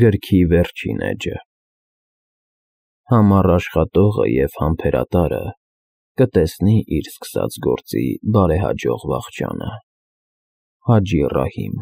Գրքի վերջին էջը։ Համառ աշխատողը և համբերատարը կտեսնի իր սկսած գործի բարեհաջող վախճանը։ Հաջի Ռահիմ։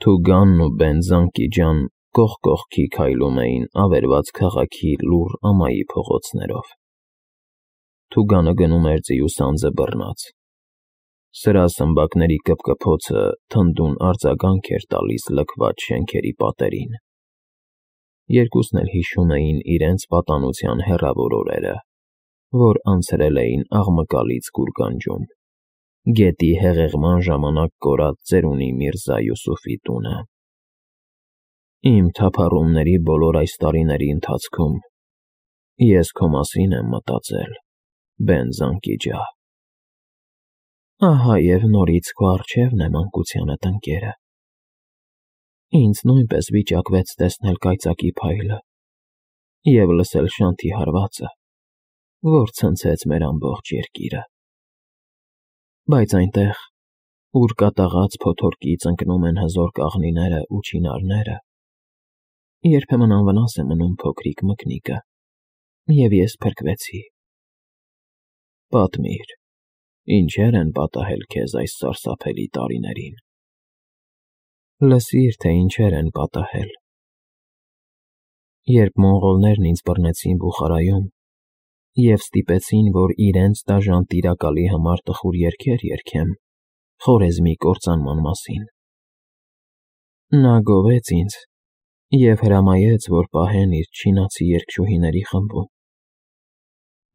Թուգանն ու Բենզանկի ջան կողք կողքի քայլում էին ավերված քաղաքի լուռ ամայի փողոցներով։ Թուգանը գնում էր ձիուց անձը բռնած։ Սրա սմբակների կպկփոցը թնդուն արձագանք էր տալիս լքված շենքերի պատերին։ Երկուսն էլ հիշում էին իրենց պատանության հեռավոր օրերը, որ անցրել էին աղմկալից գուրգանջում, գետի հեղեղման ժամանակ կորած ծերունի Միրզա Յուսուֆի տունը։ Իմ թափառումների բոլոր այս տարիների ընթացքում ես քո մասին եմ մտածել, Բենզանկի ջան։ Ահա և նորից քո առջևն է մանկությանդ ընկերը։ Ինձ նույնպես վիճակվեց տեսնել կայծակի փայլը և լսել շանթի հարվածը, որ ցնցեց մեր ամբողջ երկիրը։ Բայց այնտեղ, ուր կատաղած փոթորկից ընկնում են հզոր կաղնիները ու չինարները, երբեմն անվնաս է մնում փոքրիկ մկնիկը, և ես փրկվեցի։ Պատմիր, ինչեր են պատահել քեզ այս սարսափելի տարիներին։ Լսիր, թե ինչեր են պատահել։ Երբ մոնղոլներն ինձ բռնեցին Բուխարայում և ստիպեցին, որ իրենց դաժան տիրակալի համար տխուր երգեր երգեմ Խորեզմի կործանման մասին, նա գովեց ինձ և հրամայեց, որ պահեն իր չինացի երգչուհիների խմբում։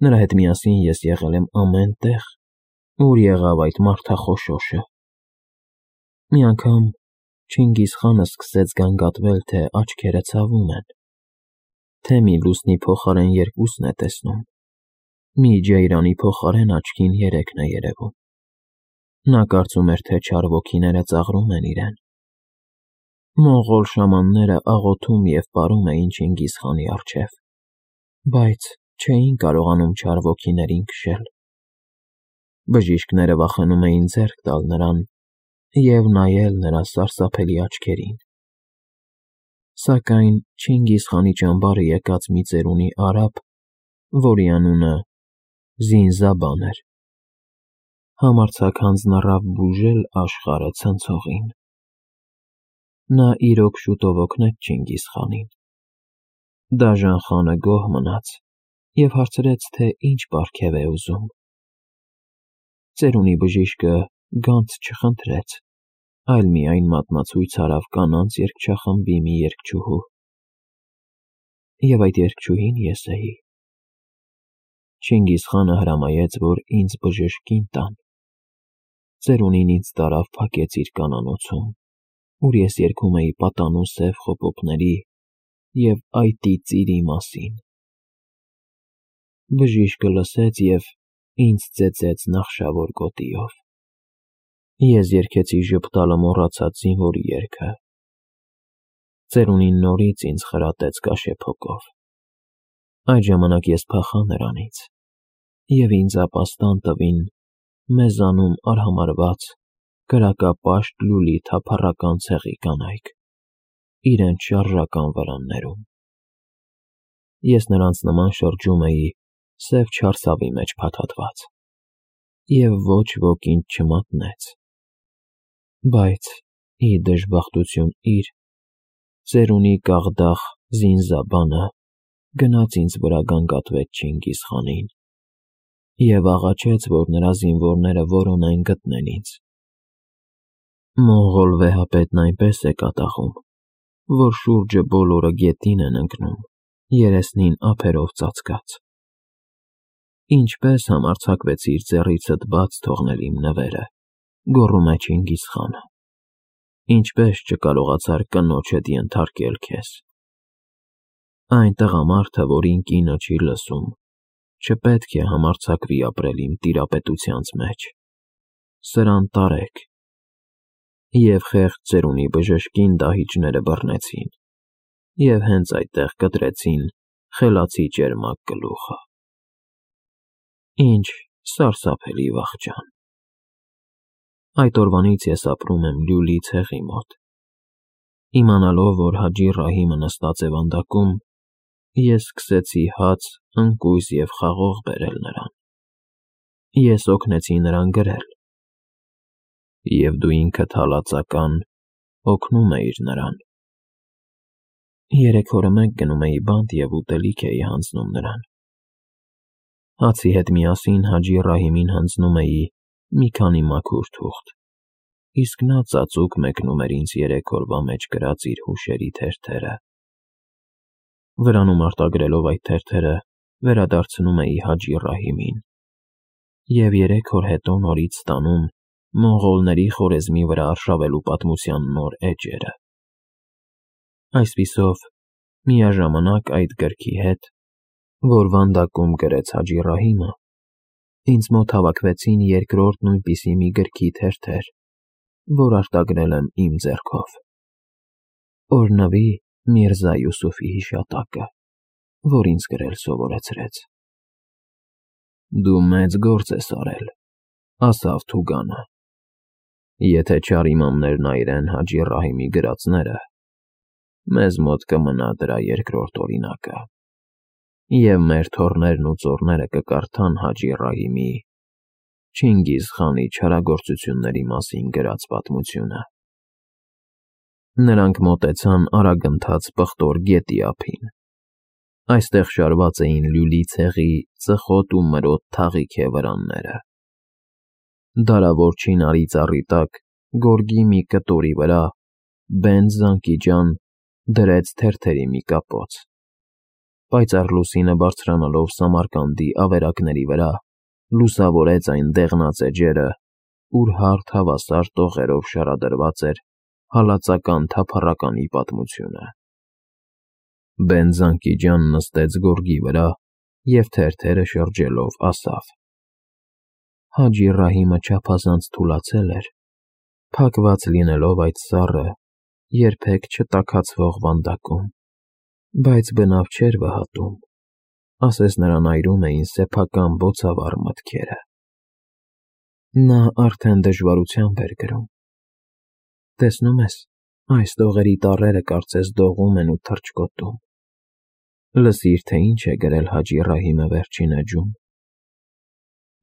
Նրա հետ միասին ես եղել եմ ամեն տեղ, ուր եղավ այդ մարդախոշոշը։ Մի անգամ Չինգիզ խանը սկսեց գանգատվել, թե աչքերը ցավում են, թե մի լուսնի փոխարեն երկուսն է տեսնում, մի ջեյրանի փոխարեն աչքին երեքն է երևում։ Նա կարծում էր, թե չար ոգիները ծաղրում են իրեն։ Մոնղոլ շամանները աղոթում և պարում էին Չինգիզ խանի առջև, բայց չէին կարողանում չար ոգիներին քշել։ Բժիշկները վախենում էին ձեռք տալ նրան և նայել նրա սարսափելի աչքերին։ Սակայն Չինգիզ խանի ճամբարը եկած մի ծերունի արաբ, որի անունը Զինզաբան էր, համարձակ հանձնառավ բուժել աշխարհը ցնցողին։ Նա իրոք շուտով օգնեց Չինգիզ խանին։ Դաժան խանը գոհ մնաց և հարցրեց, թե ինչ պարգև է ուզում։ Ծերունի բժիշկը գանձ չխնդրեց, այլ միայն մատնացույց արավ կանանց երգչախմբի մի երգչուհու։ Եվ այդ երգչուհին ես էի։ Չինգիզ խանը հրամայեց, որ ինձ բժշկին տան։ Ծերունին ինձ տարավ փակեց իր կանանոցում, ուր ես երգում էի պատանու սև խոպոպների և այտի ծիրի մասին։ Բժիշկը լսեց և ինձ ծեծեց նախշավոր գոտիով։ Ես երգեցի ժպտալը մոռացած զինվորի երգը։ Ծերունին նորից ինձ խրատեց կաշեփոկով։ Այդ ժամանակ ես փախա նրանից, և ինձ ապաստան տվին մեզանում արհամարհված կրակապաշտ լուլի թափառական ցեղի կանայք, իրենց շարժական վրաններում։ Ես նրանց նման շրջում էի սև չարսավի մեջ փաթաթված, և ոչ ոք ինձ չմատնեց։ Բայց, ի դժբախտություն իր, ծերունի կաղդաղ Զինզաբանը գնաց ինձ վրա գանգատվեց Չինգիզ խանին և աղաչեց, որ նրա զինվորները որոնեն գտնեն ինձ։ Մոնղոլ վեհապետն այնպես է կատաղում, որ շուրջը բոլորը գետին են ընկնում, երեսնին ափերով ծածկած։ Ինչպե՞ս համարձակվեցիր ձեռիցդ բաց թողնել իմ նվերը, գոռում է Չինգիզ խանը։ Ինչպե՞ս չկարողացար կնոջդ ենթարկել քեզ։ Այն տղամարդը, որին կինը չի լսում, չպետք է համարձակվի ապրել իմ տիրապետությանց մեջ։ Սրան տարեք։ Եվ խեղճ ծերունի բժշկին դահիճները բռնեցին և հենց այդտեղ կտրեցին խելացի ճերմակ գլուխը։ Ինչ սարսափելի վախճան։ Այդ օրվանից ես ապրում եմ լյուլի ցեղի մոտ Իմանալով, որ Հաջի Ռահիմը նստած է վանդակում, ես սկսեցի հաց, ընկույզ և խաղող բերել նրան։ Ես օգնեցի նրան գրել։ Եվ դու ինքդ հալածական օգնում էիր նրան։ 3 օրը մեկ գնում էի բանտ և ուտելիք էի հանձնում նրան։ Հացի հետ միասին Հաջի Ռահիմին հանձնում էի մի քանի մաքուր թուղթ, իսկ նա ծածուկ մեկնում էր ինձ 3 օրվա մեջ գրած իր հուշերի թերթերը։ Վրանում արտագրելով այդ թերթերը վերադարձնում էի Հաջի Ռահիմին և 3 օր հետո նորից ստանում մոնղոլների խորեզմի վրա արշավելու պատմության նոր էջերը։ Այսպիսով, միաժամանակ այդ գրքի հետ, որ վանդակում գրեց Հաջի Ռահիմը, ինձ մոտ հավաքվեցին երկրորդ նույնպիսի մի գրքի թերթեր, որ արտագրել եմ իմ ձեռքով։ Օրհնվի Միրզա Յուսուֆի հիշատակը, որ ինձ գրել սովորեցրեց։ Դու մեծ գործ ես արել, ասավ Թուգանը։ Եթե չար իմամներն այրեն Հաջի Ռահիմի գրածները, մեզ մոտ կմնա դրա երկրորդ օրինակը, և մեր թոռներն ու ծոռները կկարդան Հաջի Ռահիմի Չինգիզ խանի չարագործությունների մասին գրած պատմությունը։ Նրանք մոտեցան արագընթաց Պղտոր գետի ափին։ Այստեղ շարված էին լյուլի ցեղի ծխոտ ու մրոտ թաղիք վրանները։ Դարավոր չինարի ծառի տակ, գորգի մի կտորի վրա, Բենդ Զանկիջան դրեց թերթերի մի կապոց։ Պայծառ լուսինը բարձրանալով Սամարկանդի ավերակների վրա, լուսավորեց այն դեղնած էջերը, ուր հարթ հավասար տողերով շարադրված էր հալածական թափառականի պատմությունը։ Բենդ Զանկիջան նստեց գորգի վրա և թերթերը շրջելով ասավ. Հաջի Ռահիմը չափազանց թուլացել էր, փակված լինելով այդ սառը, երբեք չտաքացվող վանդակում, բայց բնավ չէր վհատում, ասես նրան այրում էին սեփական բոցավառ մտքերը։ Նա արդեն դժվարությամբ էր գրում։ Տեսնում ես, այս տողերի տառերը կարծես դողում են ու թռչկոտում։ Լսիր, թե ինչ է գրել Հաջի Ռահիմը վերջին էջում։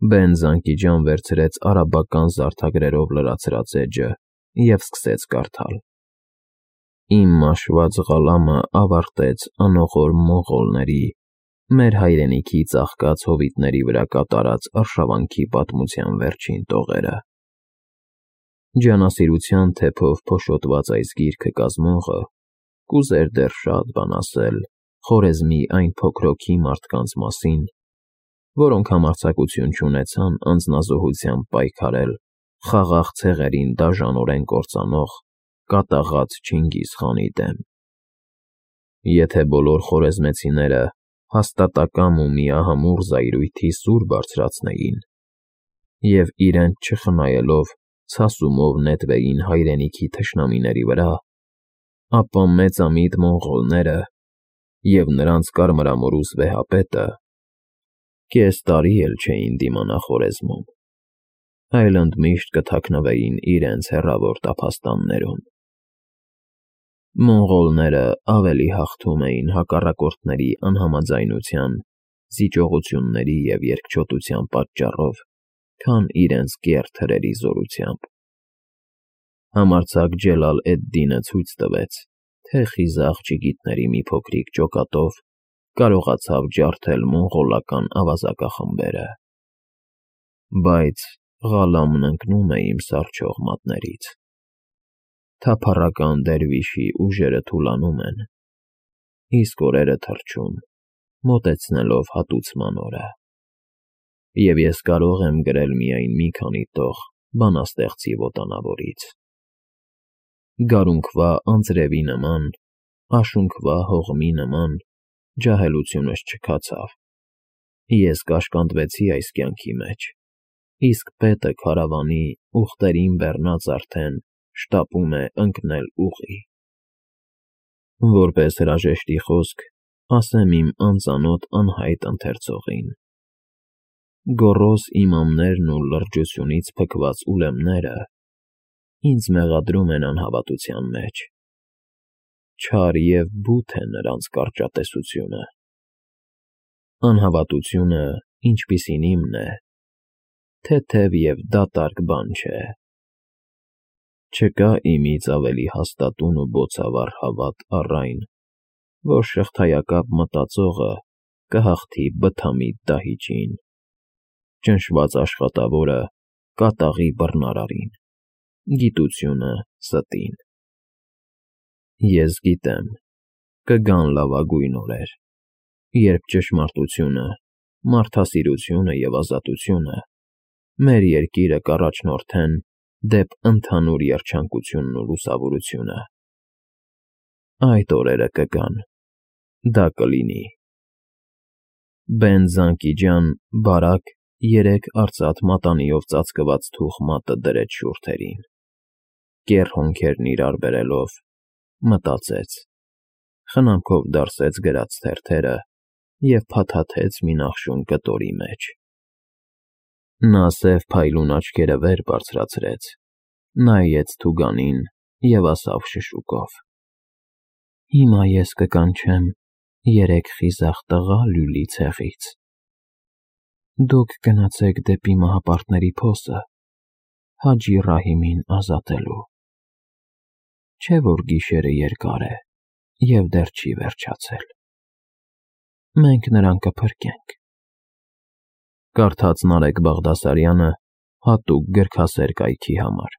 Բենդ Զանկիջան վերցրեց արաբական զարդագրերով լրացրած էջը և սկսեց կարդալ. Իմ մաշված Ղալամը ավարտեց անողոր մոնղոլների, մեր հայրենիքի ծաղկած հովիտների վրա կատարած արշավանքի պատմության վերջին տողերը։ Ջանասիրության թեփով փոշոտված այս գիրքը կազմողը կուզեր դեռ շատ բան ասել Խորեզմի այն փոքրոքի մարդկանց մասին, որոնք համարձակություն չունեցան անձնազոհությամբ պայքարել խաղաղ ցեղերին դաժանորեն կործանող կատաղած Չինգիզ խանի դեմ։ Եթե բոլոր խորեզմեցիները հաստատակամ ու միահամուռ զայրույթի սուր բարձրացնեին և իրենց չխնայելով ցասումով նետվեին հայրենիքի թշնամիների վրա, ապա մեծամիտ մոնղոլները և նրանց կարմրամորուս վեհապետը կես տարի էլ չէին դիմանա Խորեզմում, այլ ընդմիշտ կթաքնվեին իրենց հեռավոր տափաստաններում։ Մոնղոլները ավելի հաղթում էին հակառակորդների անհամաձայնության, զիջողությունների և երկչոտության պատճառով, քան իրենց կեռ թրերի զորությամբ։ Համարձակ Ջելալ էդ-Դինը ցույց տվեց, թե խիզախ ջիգիտների մի փոքրիկ ջոկատով կարողացավ ջարդել մոնղոլական ավազակախմբերը։ Բայց Ղալամն ընկնում է իմ սառչող մատներից։ Թափառական դերվիշի ուժերը թուլանում են, իսկ օրերը թռչում, մոտեցնելով հատուցման օրը։ Եվ ես կարող եմ գրել միայն մի քանի տող բանաստեղծի ոտանավորից։ Գարունկվա անձրևի նման, աշունքվա հողմի նման ջահելությունս չքացավ։ Ես կաշկանդվեցի այս կյանքի մեջ, իսկ պետը քարավանի ուղտերին բեռնած արդեն շտապում է ընկնել ուղի։ Որպես հրաժեշտի խոսք, ասեմ իմ անծանոթ անհայտ ընթերցողին. գոռոզ իմամներն ու լրջությունից փքված ուլեմները ինձ մեղադրում են անհավատության մեջ, չար և բութ է նրանց կարճատեսությունը։ Անհավատությունը, ինչպիսին իմն է, թեթև և դատարկ բան չէ։ Չկա իմից ավելի հաստատուն ու բոցավառ հավատ առ այն, որ շղթայակապ մտածողը կհաղթի բթամիտ դահիճին, ճնշված աշխատավորը կատաղի բռնարարին, գիտությունը ստին։ Ես գիտեմ, կգան լավագույն օրեր, երբ ճշմարտությունը, մարդասիրությունը և ազատությունը մեր երկիրը կառաջնորդեն դեպ ընդհանուր երջանկությունն ու լուսավորությունը։ Այդ օրերը կգան, դա կլինի։ Բեն-Զանկի ջան բարակ երեք արծաթ մատանիով ծածկված թուխ մատը դրեց շուրթերին, կեռ հոնքերն իրար բերելով, մտածեց, խնամքով դարսեց գրած թերթերը և փաթաթեց մի նախշուն կտորի մեջ։ Նա սև փայլուն աչքերը վեր բարձրացրեց, նայեց Թուգանին և ասավ շշուկով. «Հիմա ես կկանչեմ երեք խիզախ տղա լյուլի ցեղից։ Դուք գնացեք դեպի մահապարտների փոսը Հաջի Ռահիմին ազատելու։ Չէ՞ որ գիշերը երկար է և դեռ չի վերջացել։ Մենք նրան կփրկենք»։ Կարդաց Նարեկ Բաղդասարյանը հատուկ գրքասեր կայքի համար։